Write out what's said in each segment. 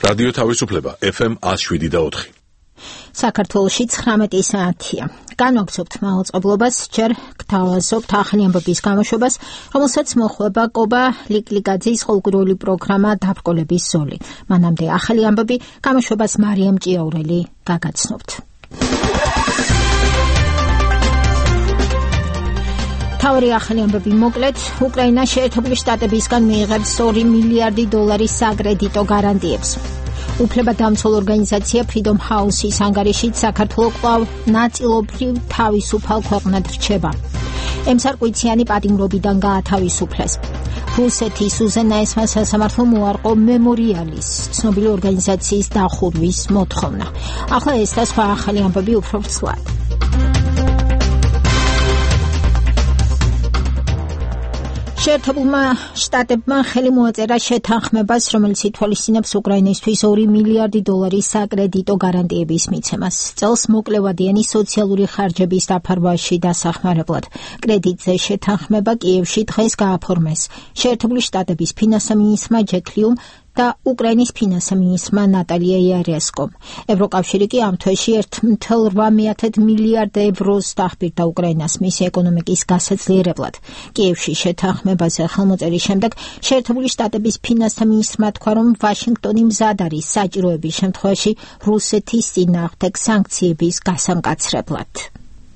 რადიო თავისუფლება FM 107.4. საქართველოში 19 საათია. განვაგრძობთ მაუწყებლობას, ჯერ გთავაზობთ ახალი ამბების გამოშვებას, რომელსაც მოხვება კობა ლიკლიგაძის ყოველკვირეული პროგრამა დაბრკოლების ზოლი. მანამდე ახალი ამბები გამოშვებას მარიამ ჭიაურელი გაგაცნობთ. თავი ახალი ამბები მოკლედ, უკრაინა შეერთებული შტატებისგან მიიღებს $2 მილიარდი საკრედიტო გარანტიებს. უფლებადამცველ ორგანიზაცია Freedom House-ის ანგარიშით საქართველოს კვლავ ნაწილობრივ თავისუფალ ქვეყნად რჩება. ემსარკვიციანი პატიმრობიდან გაათავისუფლეს. რუსეთის უზენაესმა სასამართლომ უარყო მემორიალის ცნობილი ორგანიზაციის დახურვის მოთხოვნა. ახლა ეს და სხვა ახალი ამბები უფრო ცვლად. შეერთებულმა შტატებმა ხელი მოაწერა შეთანხმებას, რომელიც ითვალისწინებს უკრაინისთვის $2 მილიარდი საკრედიტო გარანტიების მიცემას. წელს მოკლევადიანი სოციალური ხარჯების დაფარვაში დასახმარებლად. კრედიტზე შეთანხმება კიევში დღეს გააფორმეს. შეერთებული შტატების ფინანსთა მინისტრმა ჯეკ ლიუმ და უკრაინის ფინანსთა მინისტრმა ნატალია იარესკომ. ევროკავშირი კი ამ თვეში €1.8 მილიარდ დახბირდა უკრაინას მისი ეკონომიკის გასაძლიერებლად. კიევში შეთანხმებაზე ხელმოწერის შემდეგ შეერთებული შტატების ფინანსთა მინისტრმა თქვა, რომ ვაშინგტონი მზად არის საჭიროების შემთხვევაში რუსეთის წინააღმდეგ სანქციების გასამკაცრებლად.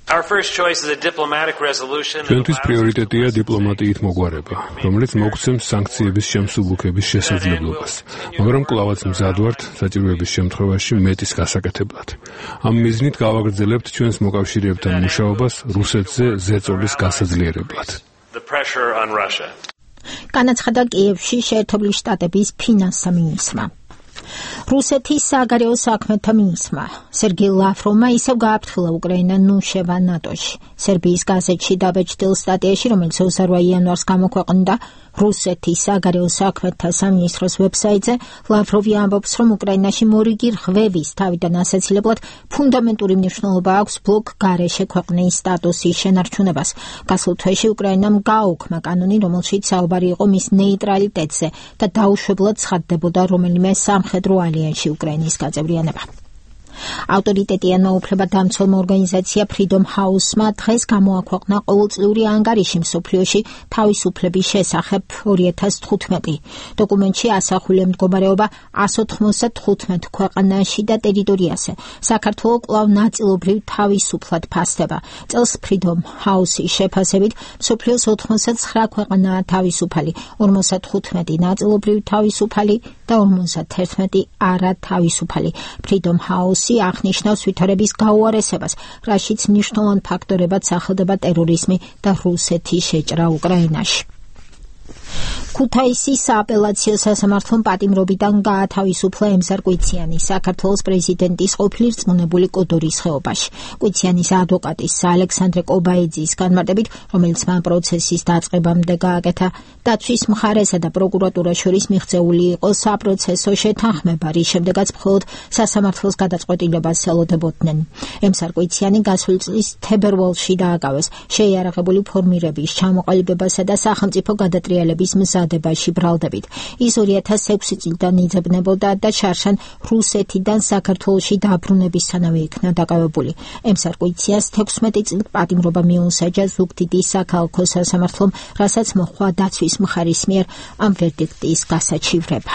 ჩვენთვის პრიორიტეტია დიპლომატიით მოგვარება, რომელიც მოგცემს სანქციების შემსუბუქების შესაძლებლობას, მაგრამ კვლავაც მზად ვართ საჭიროების შემთხვევაში მეტის გასაკეთებლად. ამ მიზნით გავაგრძელებთ ჩვენს მოკავშირეებთან მუშაობას რუსეთზე ზეწოლის გასაძლიერებლად. განაცხადა კიევში შეერთებული შტატების ფინანსთა მინისტრმა. რუსეთის საგარეო საქმეთა მინისტრმა სერგეი ლავროვმა ისევ გააფრთხილა უკრაინა ნუშევა ნატოში. სერბიის გაზეთში დაბეჭდილ სტატიაში, რომელიც 28 იანვარს გამოქვეყნდა რუსეთის საგარეო საქმეთა სამინისტროს ვებსაიტზე, ლავროვი ამბობს, რომ უკრაინაში მორიგი რღვევის თავიდან ასაცილებლად ფუნდამენტური მნიშვნელობა აქვს ბლოკ გარეშე ქვეყნის სტატუსის შენარჩუნებას. გასულ თვეში უკრაინამ გააუქმა კანონი, რომელშიც საუბარი იყო მის ნეიტრალიტეტზე და დაუშვებლად ცხადდებოდა რომელიმე სამხედრო ალიანსში უკრაინის გაწევრიანება. ავტორიტეტიანმა უფლებადამცველმა ორგანიზაცია Freedom House-მა დღეს გამოაქვეყნა ყოველწლიური ანგარიში მსოფლიოში თავისუფლების შესახებ 2015. დოკუმენტში ასახულია მდგომარეობა 195 ქვეყანაში და ტერიტორიაზე. საქართველო კვლავ ნაწილობრივ თავისუფლად ფასდება. წელს Freedom House-ის შეფასებით მსოფლიოს 89 ქვეყანაა თავისუფალი, 55 ნაწილობრივ თავისუფალი და 51 არა თავისუფალი. Freedom House აღნიშნავს ვითარების გაუარესებას, რაშიც მნიშვნელოვან ფაქტორებად სახელდება ტერორიზმი და რუსეთის შეჭრა უკრაინაში. ქუთაისის სააპელაციო სასამართლომ პატიმრობიდან გაათავისუფლა ემსარკვიციანი საქართველოს პრეზიდენტის ყოფილი რწმუნებული კოდორის ხეობაში. კვიციანის ადვოკატის ალექსანდრე კობაიძის განმარტებით, რომელიც მან პროცესის დაწყებამდე გააკეთა, დაცვის მხარესა და პროკურატურას შორის მიღწეული იყო საპროცესო შეთანხმება, რის შემდეგაც მხოლოდ სასამართლოს გადაწყვეტილებას ელოდებოდნენ. ემსარკვიციანი გასული წლის თებერვალში დააკავეს შეიარაღებული ფორმირების ჩამოყალიბებასა და სახელმწიფო გადატრიალების მზადებაში ბრალდებით. ის 2006 წლიდან იძებნებოდა და შარშან რუსეთიდან საქართველოში დაბრუნებისთანავე იქნა დაკავებული. ემსარკვიციას 16 წლით პატიმრობა მიუსაჯა ზუგდიდის საქალაქო სასამართლომ, რასაც მოჰყვა დაცვის მხარის მიერ ამ ვერდიქტის გასაჩივრება.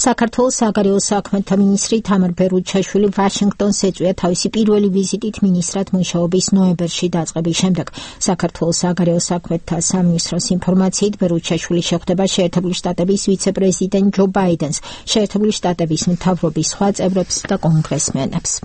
საქართველოს საგარეო საქმეთა მინისტრი თამარ ბერუჩაშვილი ვაშინგტონს ეწვია თავისი პირველი ვიზიტით მინისტრად მუშაობის ნოემბერში დაწყების შემდეგ. საქართველოს საგარეო საქმეთა სამინისტროს ინფორმაციით ბერუჩაშვილი შეხვდება შეერთებული შტატების ვიცე-პრეზიდენტ ჯო ბაიდენს, შეერთებული შტატების მთავრობის სხვა წევრებს და კონგრესმენებს.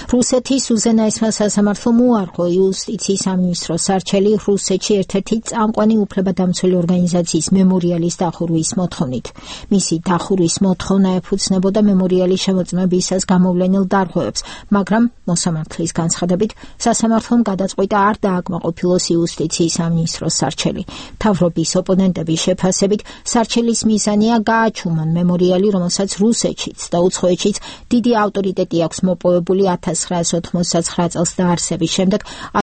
რუსეთის უზენაესმა სასამართლომ უარყო იუსტიციის სამინისტროს არჩელი რუსეთში ერთ-ერთი წამყვანი უფლებადამცველი ორგანიზაციის მემორიალის დახურვის მოთხოვნით. მისი დახურვის მოთხოვნა ეფუძნებოდა მემორიალის შემოწმებისას გამოვლენილ დარღვევებს, მაგრამ მოსამართლის განცხადებით სასამართლომ გადაწყვიტა არ დააკმაყოფილოს იუსტიციის სამინისტროს არჩელი. მთავრობის ოპონენტების შეფასებით სარჩელის მიზანია გააჩუმონ მემორიალი, რომელსაც რუსეთშიც და უცხოეთშიც დიდი ავტორიტეტი აქვს მოპოვებული 1989 წელს დაარსების შემდეგ